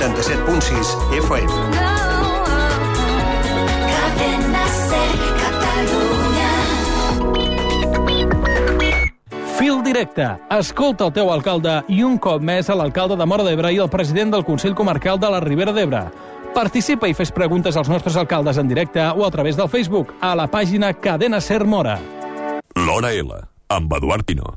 87.6 FM. Fil directe. Escolta el teu alcalde i un cop més a l'alcalde de Móra d'Ebre i el president del Consell Comarcal de la Ribera d'Ebre. Participa i fes preguntes als nostres alcaldes en directe o a través del Facebook a la pàgina Cadena Ser Móra. L'Hora L, amb Eduard Pino.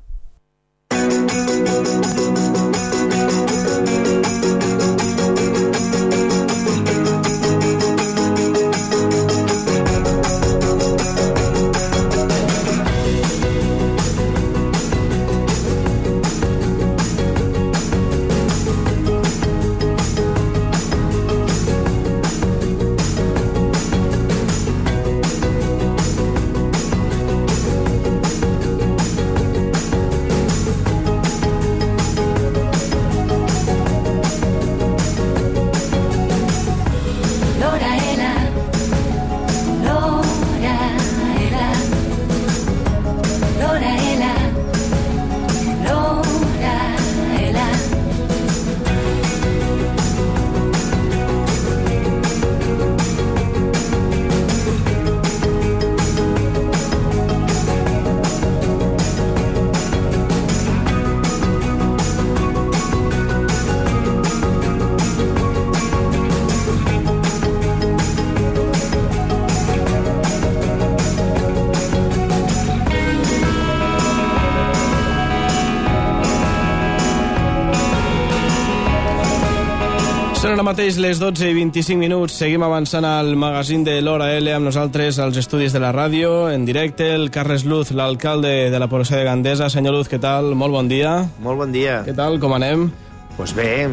Són ara mateix les 12:25. Seguim avançant al magazín de l'Hora L amb nosaltres als estudis de la ràdio, en directe, el Carles Luz, l'alcalde de la població de Gandesa. Senyor Luz, què tal? Molt bon dia. Molt bon dia. Què tal? Com anem? Doncs bé,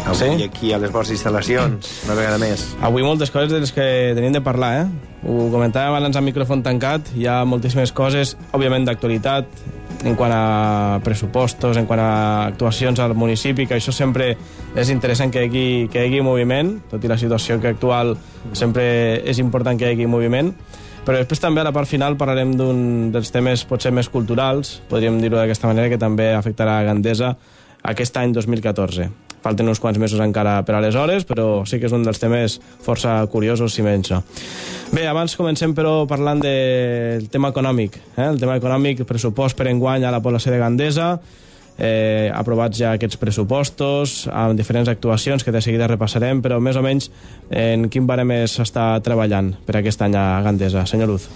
avui aquí a les vostres instal·lacions, una vegada més. Avui moltes coses de les que tenim de parlar, Ho comentàvem abans amb micròfon tancat, hi ha moltíssimes coses, òbviament d'actualitat, en quant a pressupostos, en quant a actuacions al municipi, que això sempre és interessant que hi hagi moviment, tot i la situació que actual sempre és important que hi hagi moviment. Però després també a la part final parlarem d'un dels temes potser més culturals, podríem dir-ho d'aquesta manera, que també afectarà a Gandesa aquest any 2014. Falten uns quants mesos encara per aleshores, però sí que és un dels temes força curiosos, si menys no. Bé, abans comencem, però, parlant del tema econòmic. El tema econòmic, el pressupost per enguany a la població de Gandesa, aprovats ja aquests pressupostos, amb diferents actuacions que de seguida repassarem, però més o menys en quin barem s'està treballant per aquest any a Gandesa. Senyor Luz.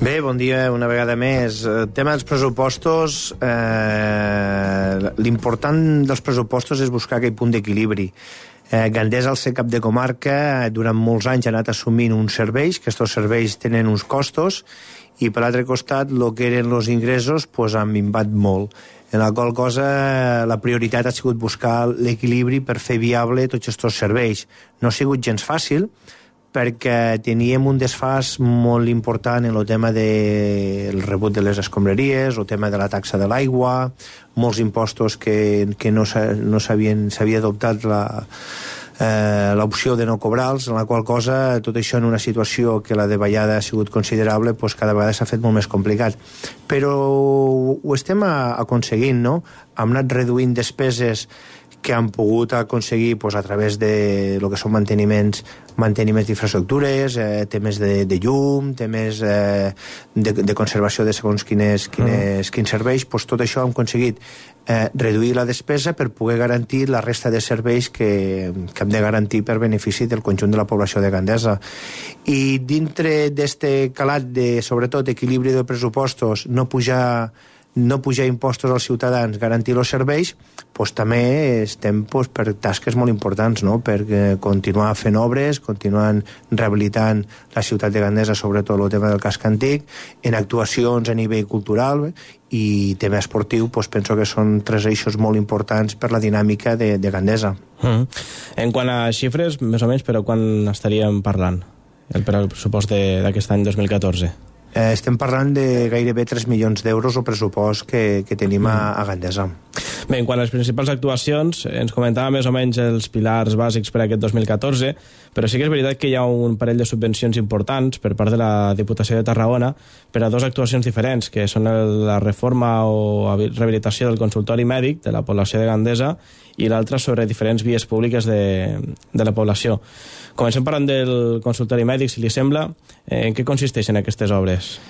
Bé, bon dia una vegada més. El tema dels pressupostos, l'important dels pressupostos és buscar aquell punt d'equilibri. Gandesa, al ser cap de comarca, durant molts anys ha anat assumint uns serveis, que aquests serveis tenen uns costos, i per l'altre costat, el que eren els ingressos han minvat molt. En la qual cosa, la prioritat ha sigut buscar l'equilibri per fer viable tots aquests serveis. No ha sigut gens fàcil, perquè teníem un desfàs molt important en el tema del rebut de les escombraries, el tema de la taxa de l'aigua, molts impostos que no s'havia adoptat l'opció de no cobrar-los, en la qual cosa tot això en una situació que la davallada ha sigut considerable, doncs cada vegada s'ha fet molt més complicat. Però ho estem aconseguint, no? Hem anat reduint despeses que han pogut aconseguir a través de lo que són manteniments d'infraestructures, temes de llum, temes de conservació de segons quins serveis. Tot això hem aconseguit reduir la despesa per poder garantir la resta de serveis que hem de garantir per benefici del conjunt de la població de Gandesa. I dintre d'aquest calat de, sobretot, equilibri de pressupostos, no pujar impostos als ciutadans, garantir els serveis, també estem per tasques molt importants, no? Per continuar fent obres, continuant rehabilitant la ciutat de Gandesa, sobretot el tema del casc antic, en actuacions a nivell cultural i tema esportiu, penso que són tres eixos molt importants per la dinàmica de Gandesa. En quant a xifres, més o menys, però quan estaríem parlant el pressupost d'aquest any 2014? Estem parlant de gairebé 3 milions d'euros el pressupost que tenim a Gandesa. Bé, en quant a les principals actuacions, ens comentava més o menys els pilars bàsics per a aquest 2014, però sí que és veritat que hi ha un parell de subvencions importants per part de la Diputació de Tarragona per a dues actuacions diferents, que són la reforma o rehabilitació del consultori mèdic de la població de Gandesa i l'altra sobre diferents vies públiques de la població. Comencem parlant del consultori mèdic, si li sembla. En què consisteixen aquestes obres?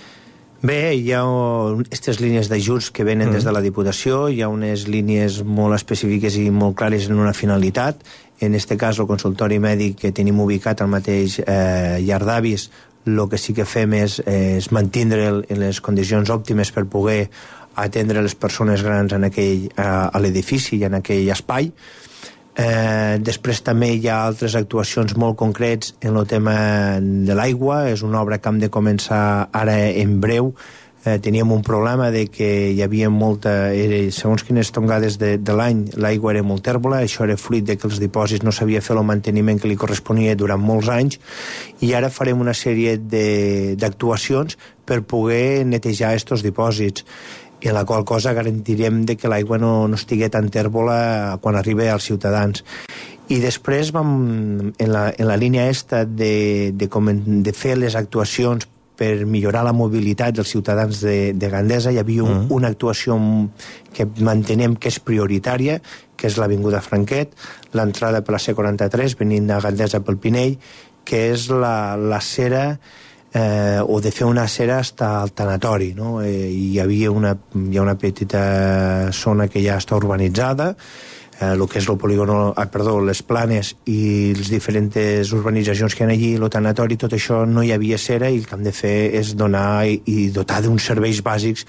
Bé, hi ha aquestes línies d'ajuts que venen des de la Diputació, hi ha unes línies molt específiques i molt clares en una finalitat. En aquest cas, el consultori mèdic que tenim ubicat al mateix llar d'avis, el que sí que fem és mantindre en les condicions òptimes per poder atendre les persones grans a l'edifici i en aquell espai. Després també hi ha altres actuacions molt concrets en el tema de l'aigua. És una obra que hem de començar ara en breu. Teníem un problema de que hi havia segons quines tongades de l'any, l'aigua era molt tèrbola. Això era fruit de que els dipòsits no s'havia fet el manteniment que li corresponia durant molts anys, i ara farem una sèrie d'actuacions per poder netejar aquests dipòsits, en la qual cosa garantirem de que l'aigua no estigui tan tèrbola quan arribi als ciutadans. I després vam, en la línia de fer les actuacions per millorar la mobilitat dels ciutadans de Gandesa, hi havia una actuació que mantenem que és prioritària, que és l'Avinguda Franquet, l'entrada per la C43 venint a Gandesa pel Pinell, que és la cera o de fer una acera fins al tanatori, no? Hi ha una petita zona que ja està urbanitzada, el que és el polígono, les planes i les diferents urbanitzacions que hi ha allí, el tanatori, tot això no hi havia cera, i el que hem de fer és donar i dotar d'uns serveis bàsics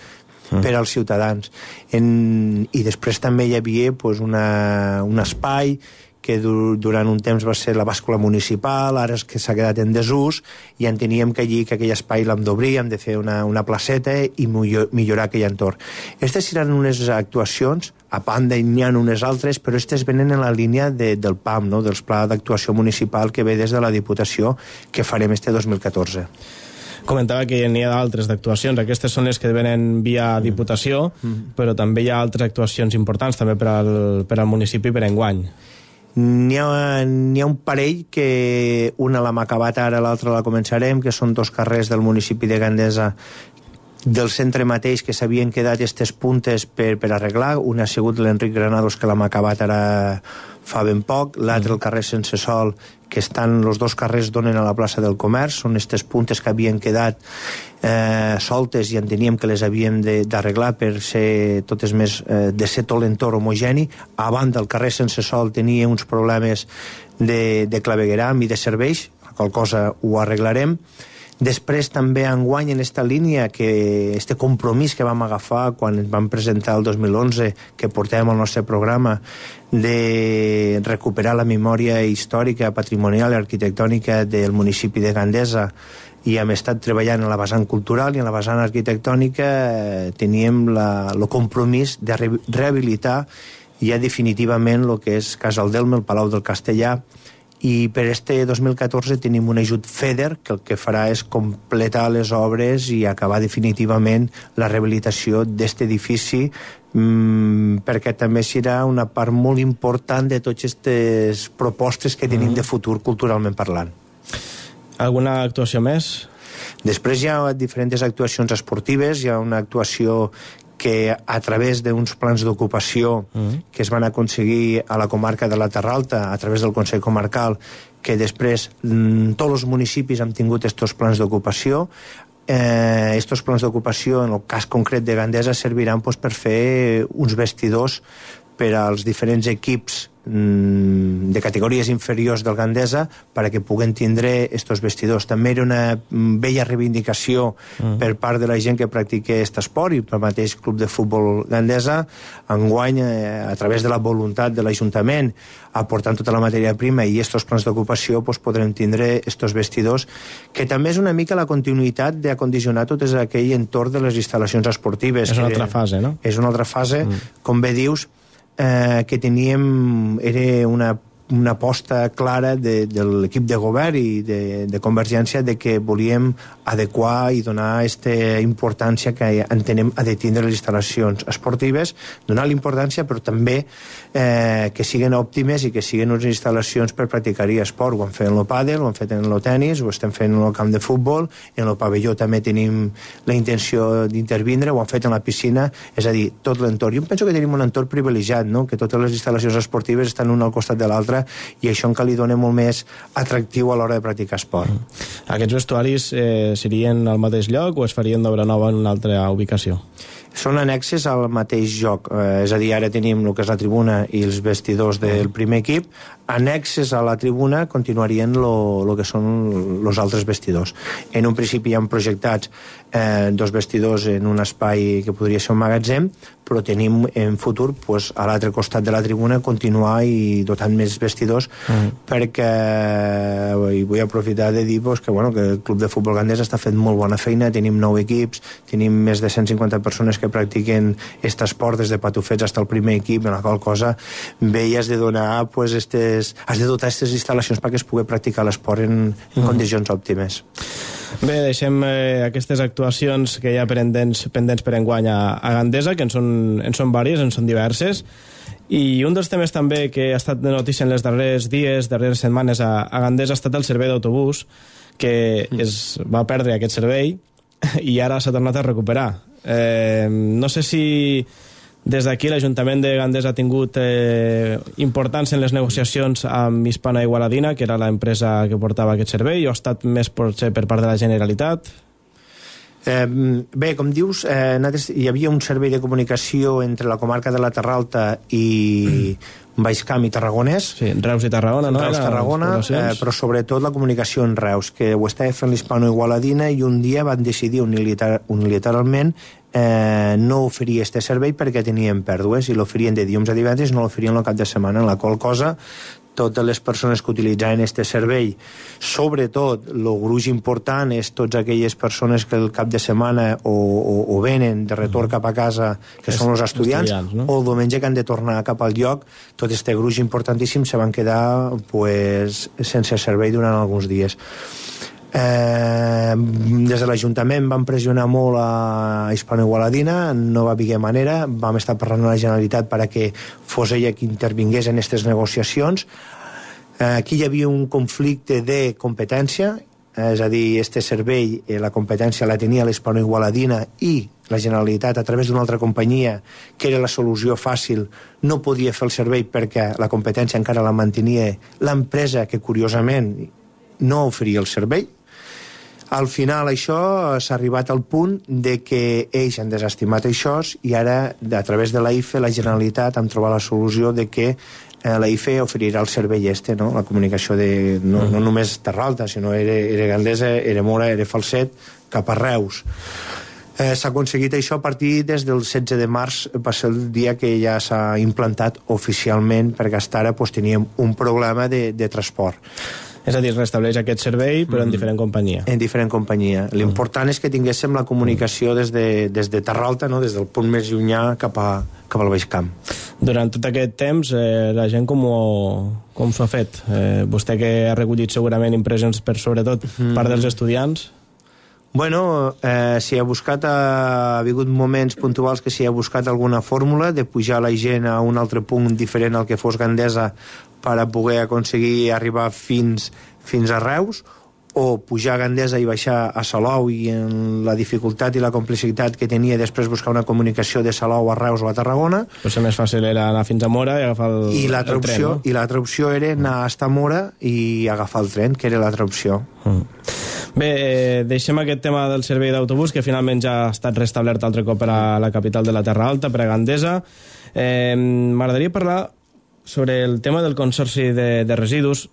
per als ciutadans. I després també hi havia un espai que durant un temps va ser la bàscula municipal, ara és que s'ha quedat en desús, i enteníem que allí, que aquell espai l'hem d'obrir, hem de fer una placeta i millorar aquell entorn. Aquestes seran unes actuacions, a banda n'hi ha unes altres, però aquestes venen en la línia del PAM, no? Del Pla d'Actuació Municipal que ve des de la Diputació, que farem este 2014. Comentava que n'hi ha d'altres d'actuacions. Aquestes són les que venen via Diputació, però també hi ha altres actuacions importants també per al municipi per enguany. N'hi ha un parell que una l'hem acabat ara, l'altra la començarem, que són dos carrers del municipi de Gandesa del centre mateix que s'havien quedat aquestes puntes per arreglar. Una ha sigut l'Enric Granados, que l'hem acabat ara fa ben poc, l'altre el carrer Sense Sol, que els dos carrers donen a la plaça del Comerç. Són aquestes puntes que havien quedat soltes i enteníem que les havíem d'arreglar per ser totes més de ser tot l'entorn homogeni. A banda, el carrer Sense Sol tenia uns problemes de clavegueram i de serveis, la qual cosa ho arreglarem. Després també enguany en aquesta línia, que este compromís que vam agafar quan vam presentar el 2011, que portàvem al nostre programa, de recuperar la memòria històrica, patrimonial i arquitectònica del municipi de Gandesa, i hem estat treballant en la vessant cultural i en la vessant arquitectònica. Teníem el compromís de rehabilitar ja definitivament el que és Casaldelme, el Palau del Castellà, i per este 2014 tenim un ajut FEDER que el que farà és completar les obres i acabar definitivament la rehabilitació d'aquest edifici, perquè també serà una part molt important de totes aquestes propostes que tenim de futur culturalment parlant. Alguna actuació més? Després hi ha diferents actuacions esportives. Hi ha una actuació que a través d'uns plans d'ocupació que es van aconseguir a la comarca de la Terra Alta a través del Consell Comarcal, que després tots els municipis han tingut aquests plans d'ocupació. Aquests plans d'ocupació, en el cas concret de Gandesa, serviran per fer uns vestidors per als diferents equips de categories inferiors del Gandesa perquè puguen tindre estos vestidors. També era una bella reivindicació per part de la gent que practica aquest esport i pel mateix Club de Futbol Gandesa. Enguany, a través de la voluntat de l'Ajuntament, aportant tota la matèria prima i estos plans d'ocupació, podrem tindre estos vestidors, que també és una mica la continuïtat d'acondicionar tot aquell entorn de les instal·lacions esportives. És una altra fase, no? És una altra fase, com bé dius, que teníem, era una aposta clara de l'equip de govern i de Convergència de que volíem adequar i donar aquesta importància que entenem ha de tindre les instal·lacions esportives, donar l'importància però també que siguin òptimes i que siguin unes instal·lacions per practicar-hi esport. Ho han fet en el pàdel, ho han fet en el tenis, ho estem fent en el camp de futbol, en el pavelló també tenim la intenció d'intervindre, ho han fet en la piscina, és a dir, tot l'entorn. Jo penso que tenim un entorn privilegiat, no? Que totes les instal·lacions esportives estan una al costat de l'altra i això encara li dona molt més atractiu a l'hora de practicar esport. Aquests vestuaris serien al mateix lloc o es farien d'obra nova en una altra ubicació? Són annexes al mateix lloc, és a dir, ara tenim el que és la tribuna i els vestidors del primer equip, annexes a la tribuna continuarien el que són els altres vestidors. En un principi hi han projectats 2 vestidors en un espai que podria ser un magatzem, però tenim en futur a l'altre costat de la tribuna continuar i dotant més vestidors perquè i vull aprofitar de dir que el Club de Futbol Gandesa està fent molt bona feina, tenim 9 equips, tenim més de 150 persones que practiquen aquest esport des de patufets fins al primer equip, en la qual cosa bé has de donar has de dotar aquestes instal·lacions perquè es pugui practicar l'esport en condicions òptimes. Bé, deixem aquestes actuacions que hi ha pendents per enguany a Gandesa, que en són diverses, en són diverses, i un dels temes també que ha estat de notícia en les darrers setmanes a Gandesa ha estat el servei d'autobús, que es va perdre aquest servei i ara s'ha tornat a recuperar. No sé si des d'aquí l'Ajuntament de Gandesa ha tingut importància en les negociacions amb Hispano Igualadina, que era l'empresa que portava aquest servei, o ha estat més potser per part de la Generalitat? Bé, com dius, hi havia un servei de comunicació entre la comarca de la Terra Alta i Baix Camp i Tarragonès. Sí, Reus i Tarragona, no? Reus-Tarragona, però sobretot la comunicació en Reus, que ho estava fent l'Hispano Igualadina i un dia van decidir unilateralment no oferir aquest servei perquè tenien pèrdues i l'oferien de dilluns a divendres, no l'oferien el cap de setmana, en la qual cosa totes les persones que utilitzaven aquest servei, sobretot el gruix important és totes aquelles persones que el cap de setmana o venen de retorn cap a casa, que són els estudiants, no? O el diumenge que han de tornar cap al lloc, tot aquest gruix importantíssim se van quedar sense servei durant alguns dies. Des de l'Ajuntament vam pressionar molt a Hispano Igualadina, no va haver manera, vam estar parlant a la Generalitat perquè fos ella qui intervingués en aquestes negociacions. Aquí hi havia un conflicte de competència, és a dir, este servei, la competència la tenia l'Hispano Igualadina i la Generalitat a través d'una altra companyia que era la solució fàcil, no podia fer el servei perquè la competència encara la mantenia l'empresa que curiosament no oferia el servei. Al final això s'ha arribat al punt de que ells han desestimat això i ara a través de l'AIFE, la Generalitat, han trobat la solució de que l'AIFE oferirà el servei no? La comunicació no només Terra Alta, sinó era Gandesa, era Mora, era Falset, cap a Reus. S'ha aconseguit això a partir des del 16 de març, va ser el dia que ja s'ha implantat oficialment, perquè fins ara teníem un problema de transport. És a dir, restableix aquest servei, però en diferent companyia. En diferent companyia. L'important és que tinguéssim la comunicació des de Terra Alta, no? Des del punt més llunyà cap al Baix Camp. Durant tot aquest temps, la gent com s'ho ha fet? Vostè que ha recollit segurament impressions per sobretot part dels estudiants? Bueno, s'hi ha buscat, ha hagut moments puntuals que s'hi ha buscat alguna fórmula de pujar la gent a un altre punt diferent al que fos Gandesa per a poder aconseguir arribar fins a Reus, o pujar a Gandesa i baixar a Salou, i en la dificultat i la complexitat que tenia després buscar una comunicació de Salou a Reus o a Tarragona. Potser més fàcil era anar fins a Mora i agafar el tren, no? I l'altra opció era anar a Mora i agafar el tren, que era l'altra opció. Bé, deixem aquest tema del servei d'autobús, que finalment ja ha estat restablert altre cop per a la capital de la Terra Alta, per a Gandesa. M'agradaria parlar sobre el tema del consorci de residus.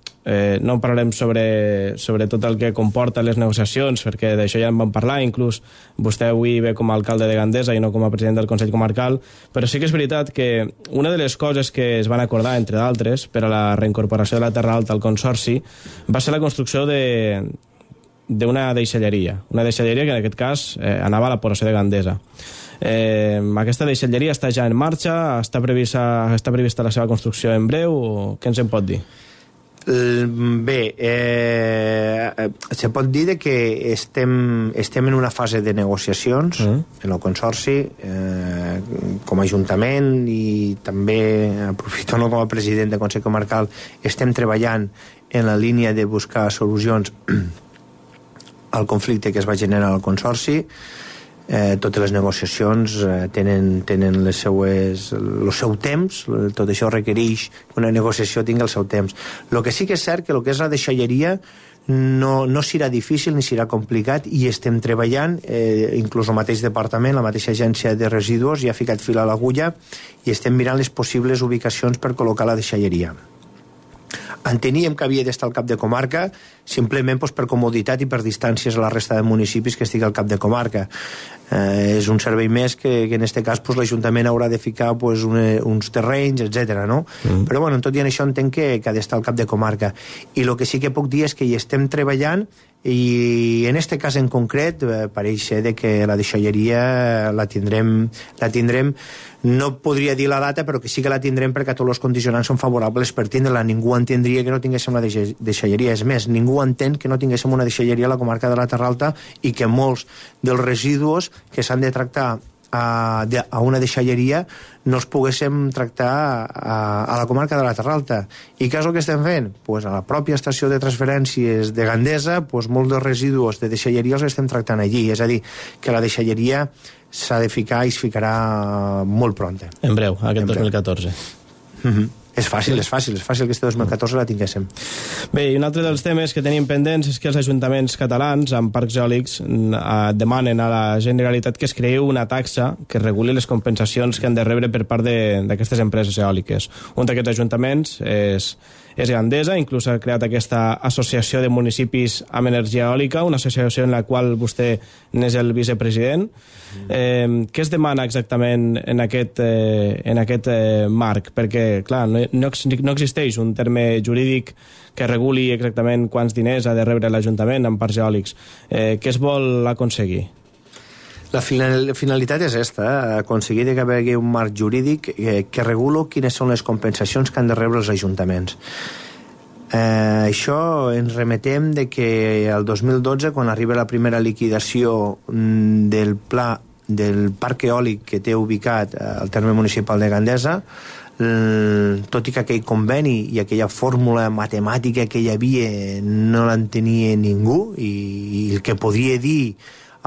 No parlarem sobre tot el que comporta les negociacions, perquè d'això ja en vam parlar, inclús vostè avui ve com a alcalde de Gandesa i no com a president del Consell Comarcal, però sí que és veritat que una de les coses que es van acordar, entre d'altres, per a la reincorporació de la Terra Alta al consorci, va ser la construcció d'una deixalleria, una deixalleria que en aquest cas anava a la població de Gandesa. Aquesta deixalleria està ja en marxa, està prevista la seva construcció en breu, o què ens en pot dir? Bé, se pot dir que estem en una fase de negociacions en el Consorci, com a Ajuntament, i també aprofito com a president de Consell Comarcal, estem treballant en la línia de buscar solucions al conflicte que es va generar al Consorci. Totes les negociacions tenen el seu temps, tot això requereix que una negociació tingui el seu temps. El que sí que és cert que el que és la deixalleria no serà difícil ni serà complicat, i estem treballant, inclús el mateix departament, la mateixa agència de residus ja ha ficat fil a l'agulla i estem mirant les possibles ubicacions per col·locar la deixalleria. Enteníem que havia d'estar al cap de comarca simplement per comoditat i per distàncies a la resta de municipis que estigui al cap de comarca. És un servei més que en aquest cas l'Ajuntament haurà de ficar uns terrenys, etc. no? Però bueno, tot i això entenc que ha d'estar al cap de comarca. I el que sí que puc dir és que hi estem treballant, i en aquest cas en concret pareix ser que la deixalleria la tindrem, no podria dir la data, però que sí que la tindrem perquè tots els condicionants són favorables per tindre-la. Ningú entendria que no tinguéssim una deixalleria. És més, ningú entén que no tinguéssim una deixalleria a la comarca de la Terra Alta i que molts dels residus que s'han de tractar a una deixalleria no els poguéssim tractar a la comarca de la Terra Alta. I què és el que estem fent? Pues a la pròpia estació de transferències de Gandesa, molts dels residus de deixalleria els estem tractant allí. És a dir, que la deixalleria s'ha de ficar i es ficarà molt pront. En breu, aquest 2014. És fàcil que este 2014 la tinguéssim. Bé, i un altre dels temes que tenim pendents és que els ajuntaments catalans amb parcs eòlics demanen a la Generalitat que es creï una taxa que reguli les compensacions que han de rebre per part d'aquestes empreses eòliques. Un d'aquests ajuntaments és Gandesa, inclús ha creat aquesta associació de municipis amb energia eòlica, una associació en la qual vostè n'és el vicepresident. Què es demana exactament en aquest marc? Perquè, clar, no existeix un terme jurídic que reguli exactament quants diners ha de rebre l'Ajuntament amb parcs eòlics. Què es vol aconseguir? La finalitat és aconseguir que hi hagi un marc jurídic que reguli quines són les compensacions que han de rebre els ajuntaments. Això ens remetem de que el 2012, quan arriba la primera liquidació del pla del parc eòlic que té ubicat al terme municipal de Gandesa, tot i que aquell conveni i aquella fórmula matemàtica que hi havia no l'entenia ningú, i el que podria dir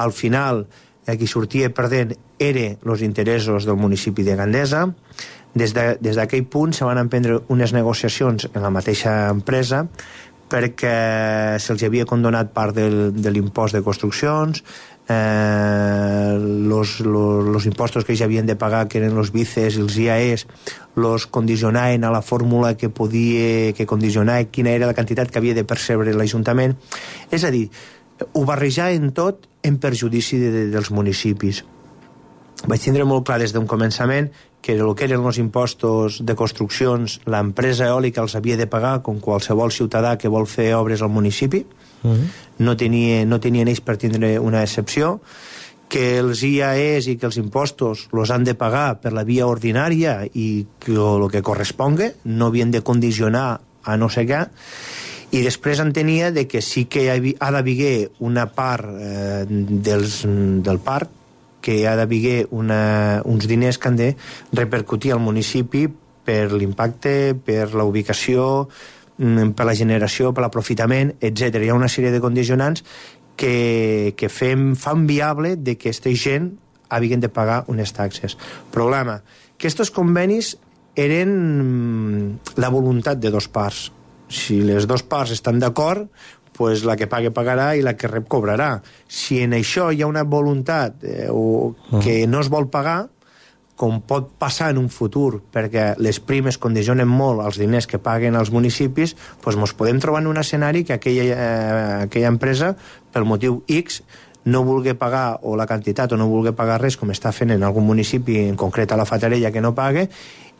al final qui sortia perdent eren els interessos del municipi de Gandesa. Des d'aquell punt se van emprendre unes negociacions en la mateixa empresa perquè se'ls havia condonat part de l'impost de construccions, los impostos que ells havien de pagar, que eren els vices i els IAEs, los condicionaven a la fórmula que condicionava quina era la quantitat que havia de percebre l'Ajuntament. És a dir, ho barrejaven tot en perjudici dels municipis. Vaig tindre molt clar des d'un començament que el que eren els impostos de construccions l'empresa eòlica els havia de pagar com qualsevol ciutadà que vol fer obres al municipi. No tenien ells per tindre una excepció, que els IAEs i que els impostos els han de pagar per la via ordinària i el que corresponga, no havien de condicionar a no sé què. I després entenia que sí que ha d'haver una part del parc, que ha d'haver uns diners que han de repercutir al municipi per l'impacte, per la ubicació, per la generació, per l'aprofitament, etc. Hi ha una sèrie de condicionants que fan viable que aquesta gent hagin de pagar unes taxes. Problema, que aquests convenis eren la voluntat de dos parts. Si les dues parts estan d'acord, pues la que pague pagarà i la que rep cobrarà. Si en això hi ha una voluntat que no es vol pagar, com pot passar en un futur, perquè les primes condicionen molt els diners que paguen els municipis, doncs ens podem trobar en un escenari que aquella empresa, pel motiu X, no vulgui pagar o la quantitat o no vulgui pagar res, com està fent en algun municipi, en concret a la Fatarella, que no pague,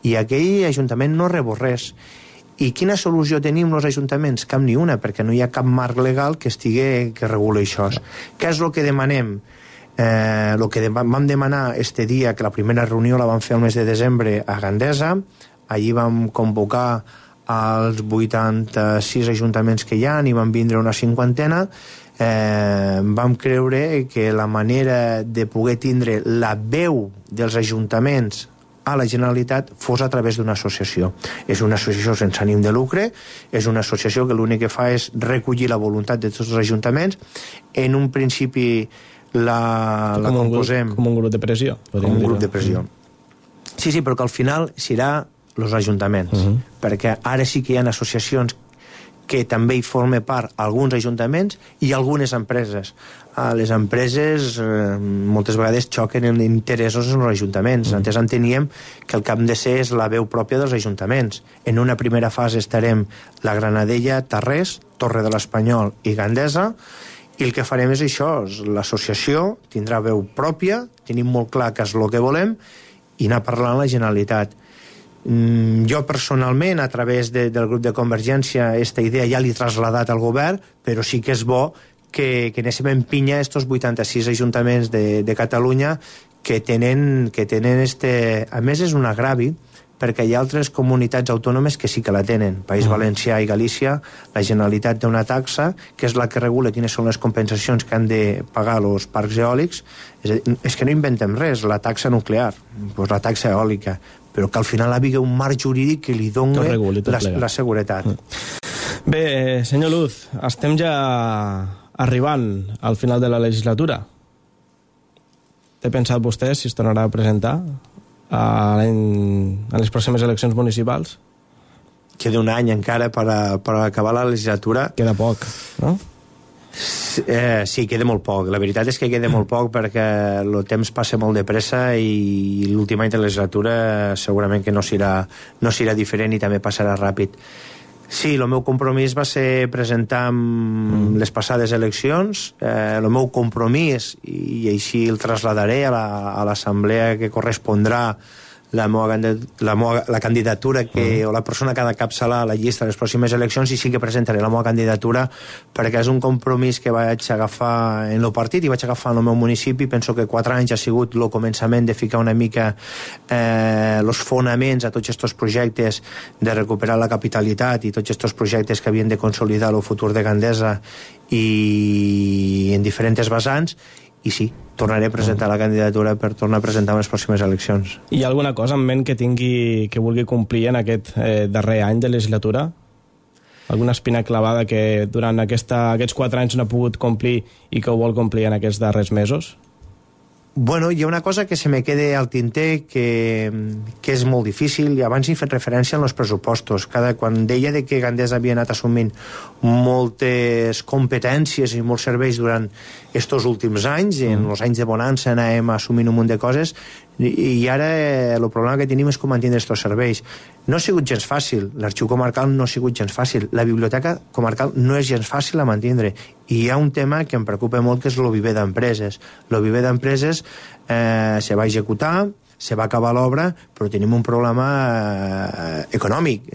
i aquell ajuntament no rebo res. I quina solució tenim els ajuntaments? Cap ni una, perquè no hi ha cap marc legal que reguli això. Què és el que demanem? El que vam demanar este dia, que la primera reunió la vam fer el mes de desembre a Gandesa, allí vam convocar als 86 ajuntaments que hi ha, i van vindre una cinquantena. Vam creure que la manera de poder tindre la veu dels ajuntaments a la Generalitat fos a través d'una associació. És una associació sense ànim de lucre, és una associació que l'únic que fa és recollir la voluntat de tots els ajuntaments. En un principi la composem... Com un grup de pressió. Com un grup de pressió. Sí, però que al final serà els ajuntaments, perquè ara sí que hi ha associacions que també hi formen part alguns ajuntaments i algunes empreses. Les empreses moltes vegades xoquen en interessos en els ajuntaments. Antes enteníem que el que hem de ser és la veu pròpia dels ajuntaments. En una primera fase estarem la Granadella, Tarrés, Torre de l'Espanyol i Gandesa, i el que farem és això, l'associació tindrà veu pròpia, tenim molt clar que és el que volem, i anar parlant a la Generalitat. Jo personalment, a través del grup de Convergència, aquesta idea ja l'he traslladat al govern, però sí que és bo que anéssim en pinya estos 86 ajuntaments de Catalunya que tenen a més és un agravi, perquè hi ha altres comunitats autònomes que sí que la tenen. País Valencià i Galícia, la Generalitat té una taxa que és la que regula quines són les compensacions que han de pagar els parcs eòlics. És que no inventem res, la taxa nuclear, doncs la taxa eòlica, però que al final hi havia un marc jurídic que li doni la seguretat. Bé, senyor Luz, estem ja arribant al final de la legislatura. Té pensat vostè si es tornarà a presentar a les pròximes eleccions municipals? Queda un any encara per acabar la legislatura. Queda poc, no? Sí, queda molt poc. La veritat és que queda molt poc perquè el temps passa molt de pressa i l'últim any de legislatura segurament que no serà diferent i també passarà ràpid. Sí, el meu compromís va ser presentar les passades eleccions. El meu compromís, i així el traslladaré a l'assemblea que correspondrà la candidatura o la persona que ha de capçalar la llista de les pròximes eleccions, i sí que presentaré la meva candidatura perquè és un compromís que vaig agafar en el partit i vaig agafar en el meu municipi. Penso que 4 anys ha sigut el començament de ficar una mica els fonaments a tots aquests projectes de recuperar la capitalitat i tots aquests projectes que havien de consolidar el futur de Gandesa i en diferents vessants. I sí, tornaré a presentar la candidatura per tornar a presentar en les pròximes eleccions. Hi ha alguna cosa en ment que vulgui complir en aquest darrer any de legislatura? Alguna espina clavada que durant aquests 4 anys no ha pogut complir i que ho vol complir en aquests darrers mesos? Bueno, hi ha una cosa que se me queda al tinter que és molt difícil, i abans he fet referència en els pressupostos. Quan deia que Gandesa havia anat assumint moltes competències i molts serveis durant estos últims anys, en els anys de bonança anàvem assumint un munt de coses, i ara el problema que tenim és com mantenir aquests serveis. No ha sigut gens fàcil, l'arxiu comarcal no ha sigut gens fàcil, la biblioteca comarcal no és gens fàcil a mantenir, i hi ha un tema que em preocupa molt, que és el viver d'empreses. El viver d'empreses se va executar, se va acabar l'obra, però tenim un problema econòmic.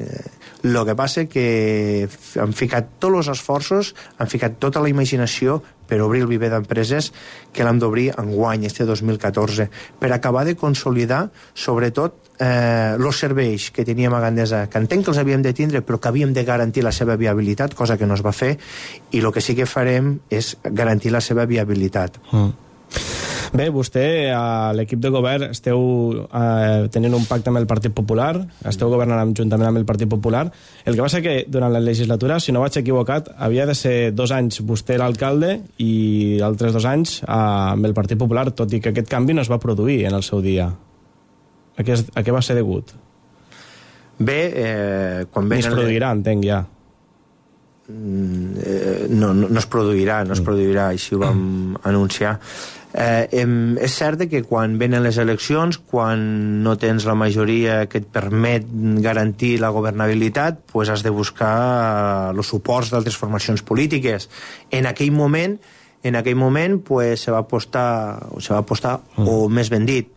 El que passa que han ficat tots els esforços, han ficat tota la imaginació per obrir el viver d'empreses, que l'hem d'obrir enguany, este 2014, per acabar de consolidar, sobretot, els serveis que teníem a Gandesa, que entenc que els havíem de tindre, però que havíem de garantir la seva viabilitat, cosa que no es va fer, i el que sí que farem és garantir la seva viabilitat. Bé, vostè, a l'equip de govern, esteu tenint un pacte amb el Partit Popular, esteu governant juntament amb el Partit Popular. El que passa que durant la legislatura, si no vaig equivocat, havia de ser 2 anys vostè l'alcalde i altres 2 anys amb el Partit Popular, tot i que aquest canvi no es va produir en el seu dia. A què va ser degut? Bé, quan ni es produirà, entenc ja. No es produirà, així ho vam anunciar. És cert que quan venen les eleccions, quan no tens la majoria que et permet garantir la governabilitat, pues has de buscar els suports d'altres formacions polítiques. En aquell moment pues, se va apostar, o més ben dit,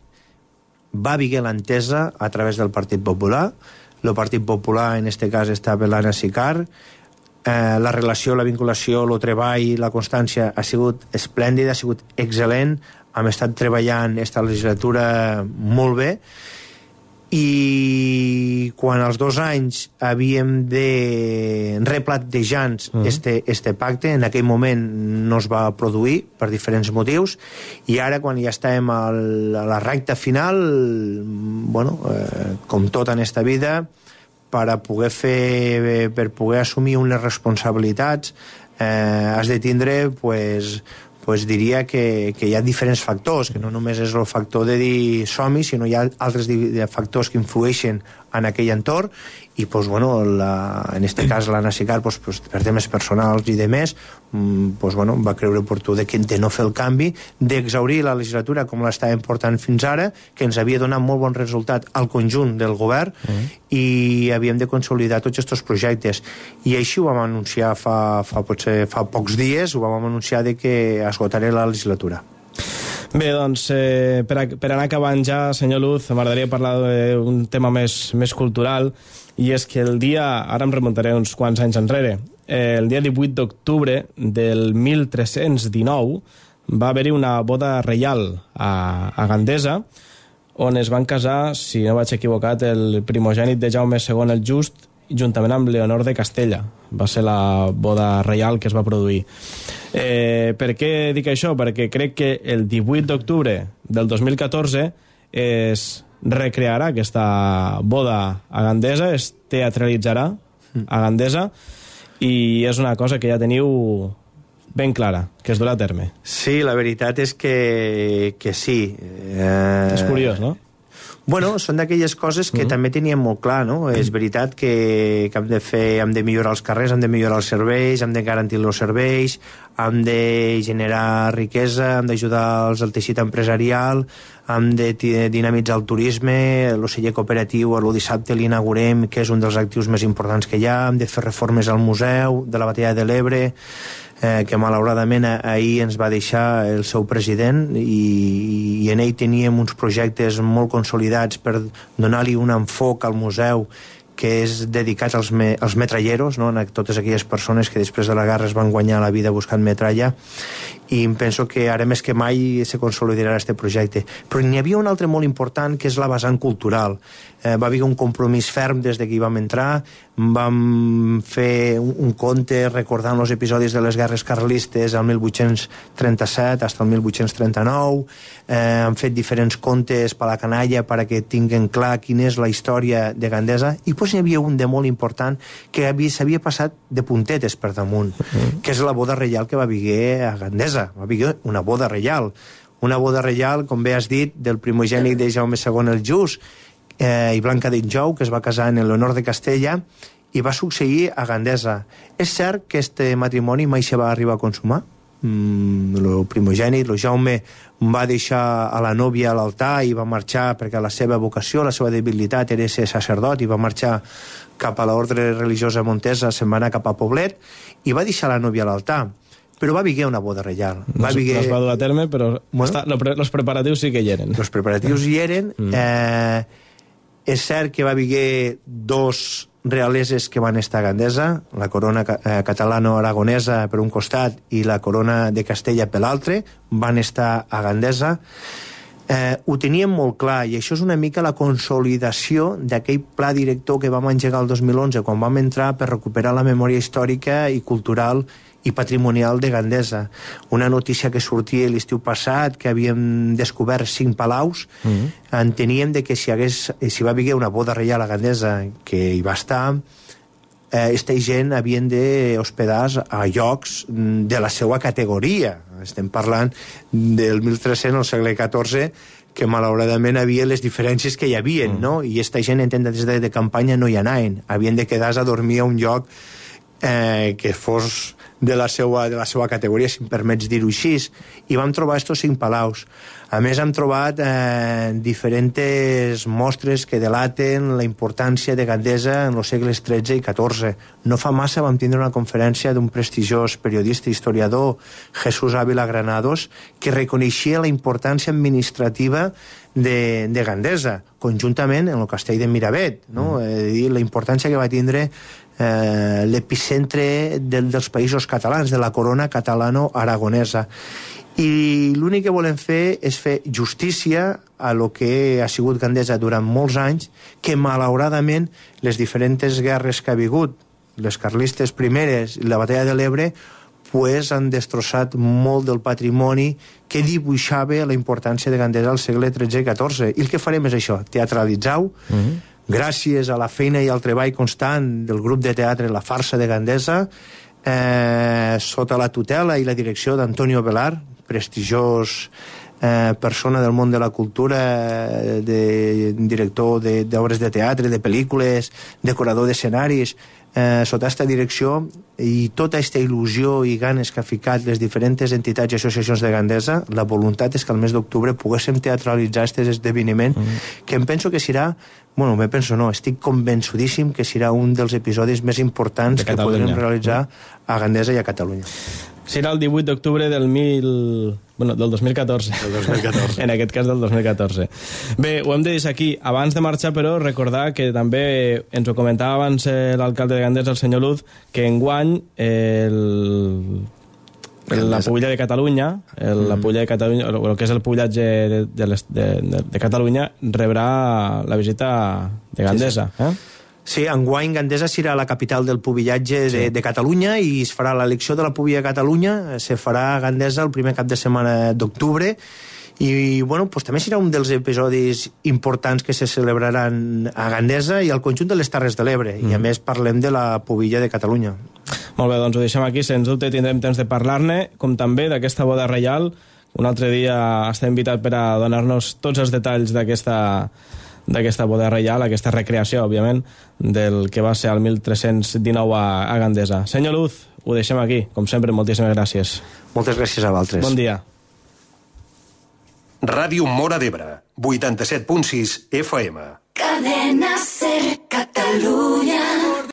va haver l'entesa a través del Partit Popular. El Partit Popular, en aquest cas, estava l'Anna Sicard. La relació, la vinculació, el treball, la constància ha sigut esplèndida, ha sigut excel·lent. Hem estat treballant aquesta legislatura molt bé, i quan als 2 anys havíem de replantejar este pacte, en aquell moment no es va produir per diferents motius, i ara quan ja estem a la recta final, com tot en esta vida, per poder assumir unes responsabilitats has de tindre, diria que hi ha diferents factors, que no només és el factor de dir som-hi, sinó hi ha altres factors que influeixen en aquell entorn, i en este cas la NACICAR, per temes personals i demés, va creure oportú de no fer el canvi, d'exhaurir la legislatura com l'estàvem portant fins ara, que ens havia donat molt bon resultat al conjunt del govern, i havíem de consolidar tots aquests projectes. I així ho vam anunciar fa pocs dies, ho vam anunciar que esgotaré la legislatura. Bé, doncs, per anar acabant ja, senyor Luz, m'agradaria parlar d'un tema més cultural, i és que el dia, ara em remuntaré uns quants anys enrere, el dia 18 d'octubre del 1319 va haver-hi una boda reial a Gandesa, on es van casar, si no vaig equivocat, el primogènit de Jaume II el Just, juntament amb Leonor de Castella. Va ser la boda reial que es va produir. Per què dic això? Perquè crec que el 18 d'octubre del 2014 es recrearà aquesta boda a Gandesa, es teatralitzarà a Gandesa, i és una cosa que ja teniu ben clara, que es durà a terme. Sí, la veritat és que sí. És curiós, no? Bueno, són d'aquelles coses que també teníem molt clar, no? És veritat que hem de millorar els carrers, hem de millorar els serveis, hem de garantir els serveis, hem de generar riquesa, hem d'ajudar el teixit empresarial, hem de dinamitzar el turisme, el celler cooperatiu, el dissabte l'inaugurem, que és un dels actius més importants que hi ha, hem de fer reformes al museu de la Batalla de l'Ebre, que malauradament ahir ens va deixar el seu president, i en ell teníem uns projectes molt consolidats per donar-li un enfoc al museu que és dedicat als metralleros, no? A totes aquelles persones que després de la guerra es van guanyar la vida buscant metralla, i em penso que ara més que mai se consolidarà aquest projecte. Però n'hi havia un altre molt important, que és la vessant cultural. Va haver un compromís ferm des que hi vam entrar, vam fer un conte recordant els episodis de les guerres carlistes el 1837 fins al 1839, hem fet diferents contes per a la canalla perquè tinguen clar quina és la història de Gandesa, i doncs n'hi havia un de molt important que s'havia passat de puntetes per damunt, que és la boda reial que va haver a Gandesa. Va haver una boda reial, com bé has dit, del primogènit de Jaume II el Just, i Blanca d'Injou, que es va casar en Leonor de Castella, i va succeir a Gandesa. És cert que este matrimoni mai se va arribar a consumar. El primogènit, el Jaume, va deixar a la nòvia a l'altar i va marxar perquè la seva vocació, la seva debilitat era ser sacerdot, i va marxar cap a l'ordre religiosa montesa, se'n va anar cap a Poblet, i va deixar la nòvia a l'altar. Però va haver una boda reial. No es va dur a terme, però els preparatius sí que hi eren. Els preparatius hi eren. És cert que va haver 2 realeses que van estar a Gandesa, la corona catalano-aragonesa per un costat i la corona de Castella per l'altre, van estar a Gandesa. Ho teníem molt clar, i això és una mica la consolidació d'aquell pla director que vam engegar el 2011, quan vam entrar per recuperar la memòria històrica i cultural i patrimonial de Gandesa. Una notícia que sortia l'estiu passat, que havíem descobert 5 palaus, enteníem que si va haver una boda reial a Gandesa, que hi va estar, aquesta gent havien d'hospedar a llocs de la seva categoria. Estem parlant del 1300 al segle XIV, que malauradament havia les diferències que hi havia, no? I aquesta gent en tendes de campanya no hi anaven. Havien de quedar-se a dormir a un lloc que fos de la seva categoria, si em permets dir-ho així, i vam trobar estos 5 palaus. A més, hem trobat diferents mostres que delaten la importància de Gandesa en els segles XIII i XIV. No fa massa vam tindre una conferència d'un prestigiós periodista i historiador, Jesús Ávila Granados, que reconeixia la importància administrativa de Gandesa, conjuntament amb el castell de Miravet, no? La importància que va tindre l'epicentre dels països catalans, de la corona catalano-aragonesa. I l'únic que volem fer és fer justícia a lo que ha sigut Gandesa durant molts anys, que malauradament les diferents guerres que ha hagut, les carlistes primeres i la batalla de l'Ebre, pues han destrossat molt del patrimoni que dibuixava la importància de Gandesa al segle XIII i XIV. I el que farem és això, teatralitzar-ho, gràcies a la feina i al treball constant del grup de teatre La Farsa de Gandesa, sota la tutela i la direcció d'Antonio Velar, prestigiós persona del món de la cultura, director d'obres de teatre, de pel·lícules, decorador d'escenaris, sota aquesta direcció i tota aquesta il·lusió i ganes que ha ficat les diferents entitats i associacions de Gandesa, la voluntat és que al mes d'octubre poguéssim teatralitzar aquest esdeveniment, que em penso que serà, bueno, me penso no, estic convençudíssim que serà un dels episodis més importants que podrem realitzar a Gandesa i a Catalunya. Serà el 18 d'octubre del 2014. El 2014. En aquest cas del 2014. Bé, ho hem de dir aquí. Abans de marxar, però, recordar que també ens ho comentava abans l'alcalde de Gandesa, el senyor Luz, que enguany la Pulla de Catalunya, el que és el pullatge de Catalunya, rebrà la visita de Gandesa. Sí, enguany Gandesa serà la capital del pubillatge de Catalunya i es farà l'elecció de la Pubilla de Catalunya, se farà a Gandesa el primer cap de setmana d'octubre i bueno, pues, també serà un dels episodis importants que se celebraran a Gandesa i al conjunt de les Terres de l'Ebre i a més parlem de la Pubilla de Catalunya. Molt bé, doncs ho deixem aquí, sens dubte tindrem temps de parlar-ne, com també d'aquesta boda reial. Un altre dia està invitat per a donar-nos tots els detalls d'aquesta boda reial, aquesta recreació, òbviament, del que va ser el 1319 a Gandesa. Senyor Luz, ho deixem aquí. Com sempre, moltíssimes gràcies. Moltes gràcies a vosaltres. Bon dia. Ràdio Móra d'Ebre, 87.6 FM. Cadena Ser Catalunya.